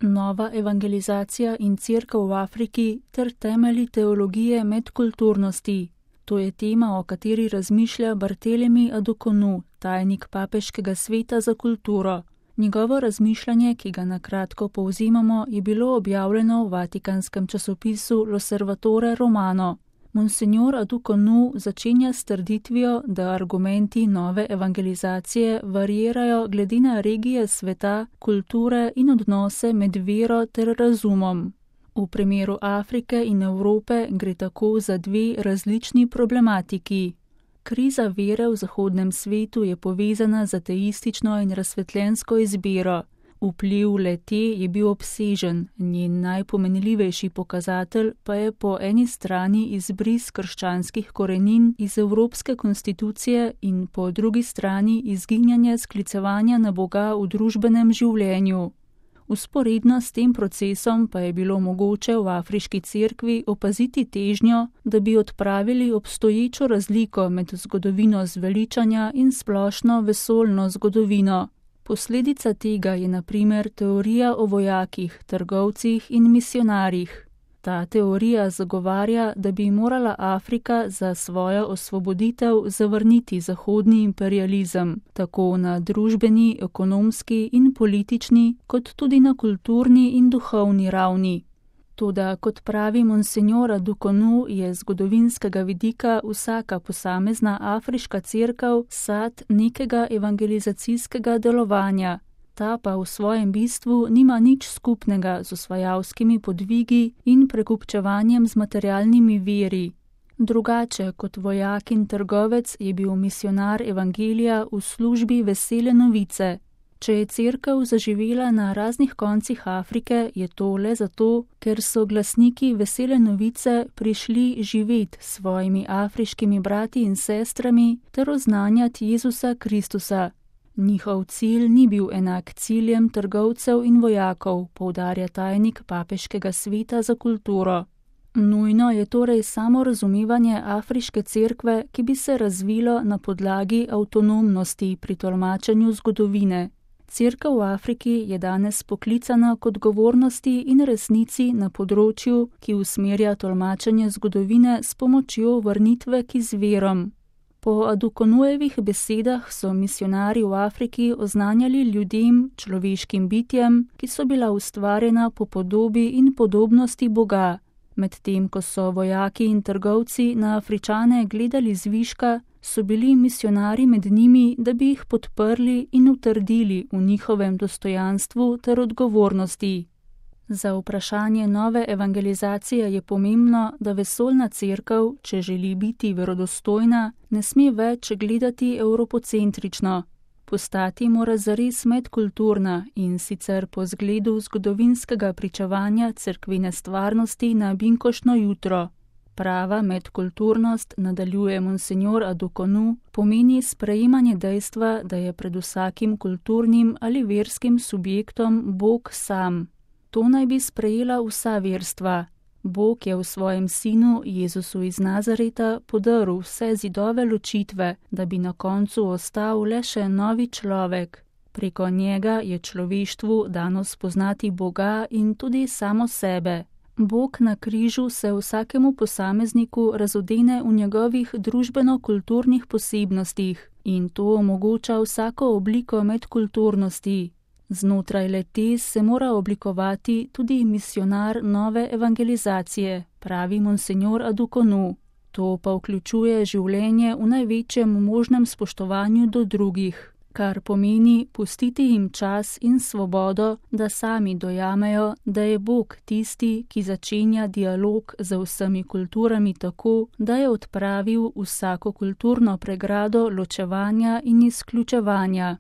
Nova evangelizacija in cerkev v Afriki ter temelji teologije medkulturnosti. To je tema, o kateri razmišlja Barthelemy Adukonu, tajnik Papeškega sveta za kulturo. Njegovo razmišljanje, ki ga na kratko povzimamo, je bilo objavljeno v vatikanskem časopisu L'Osservatore Romano. Monsignor Adukonu začenja s trditvijo, da argumenti nove evangelizacije variirajo glede na regije sveta, kulture in odnose med vero ter razumom. V primeru Afrike in Evrope gre tako za dve različni problematiki. Kriza vere v zahodnem svetu je povezana z ateistično in razsvetljensko izbiro. Vpliv le-te je bil obsežen, njen najpomenljivejši pokazatelj pa je po eni strani izbris krščanskih korenin iz evropske konstitucije in po drugi strani izginjanje sklicevanja na Boga v družbenem življenju. Vzporedno s tem procesom pa je bilo mogoče v afriški cerkvi opaziti težnjo, da bi odpravili obstoječo razliko med zgodovino zveličanja in splošno vesoljno zgodovino. Posledica tega je na primer teorija o vojakih, trgovcih in misionarjih. Ta teorija zagovarja, da bi morala Afrika za svojo osvoboditev zavrniti zahodni imperializem, tako na družbeni, ekonomski in politični, kot tudi na kulturni in duhovni ravni. Toda, kot pravi monsignor Adukonu, je z zgodovinskega vidika vsaka posamezna afriška cerkev sad nekega evangelizacijskega delovanja. Ta pa v svojem bistvu nima nič skupnega z osvajalskimi podvigi in prekupčevanjem z materialnimi viri. Drugače kot vojak in trgovec je bil misionar evangelija v službi vesele novice. Če je cerkev zaživela na raznih koncih Afrike, je to le zato, ker so glasniki vesele novice prišli živeti s svojimi afriškimi brati in sestrami ter oznanjati Jezusa Kristusa. Njihov cilj ni bil enak ciljem trgovcev in vojakov, poudarja tajnik Papeškega sveta za kulturo. Nujno je torej samo razumevanje afriške cerkve, ki bi se razvilo na podlagi avtonomnosti pri tolmačenju zgodovine. Cerkev v Afriki je danes poklicana k odgovornosti in resnici na področju, ki usmerja tolmačenje zgodovine s pomočjo vrnitve k izvirom. Po Adukonujevih besedah so misionarji v Afriki oznanjali ljudem, človeškim bitjem, ki so bila ustvarjena po podobi in podobnosti Boga. Medtem ko so vojaki in trgovci na Afričane gledali zviška, so bili misionarji med njimi, da bi jih podprli in utrdili v njihovem dostojanstvu ter odgovornosti. Za vprašanje nove evangelizacije je pomembno, da vesoljna cerkev, če želi biti verodostojna, ne sme več gledati evropocentrično. Postati mora zares medkulturna in sicer po zgledu zgodovinskega pričevanja cerkvene stvarnosti na binkoštno jutro. Prava medkulturnost, nadaljuje monsignor Adukonu, pomeni sprejemanje dejstva, da je pred vsakim kulturnim ali verskim subjektom Bog sam. To naj bi sprejela vsa verstva. Bog je v svojem sinu, Jezusu iz Nazareta, podaril vse zidove ločitve, da bi na koncu ostal le še novi človek. Preko njega je človeštvu dano spoznati Boga in tudi samo sebe. Bog na križu se vsakemu posamezniku razodene v njegovih družbeno-kulturnih posebnostih in to omogoča vsako obliko medkulturnosti. Znotraj le-te se mora oblikovati tudi misionar nove evangelizacije, pravi monsignor Adukonu. To pa vključuje življenje v največjem možnem spoštovanju do drugih, kar pomeni pustiti jim čas in svobodo, da sami dojamejo, da je Bog tisti, ki začenja dialog z vsemi kulturami tako, da je odpravil vsako kulturno pregrado ločevanja in izključevanja.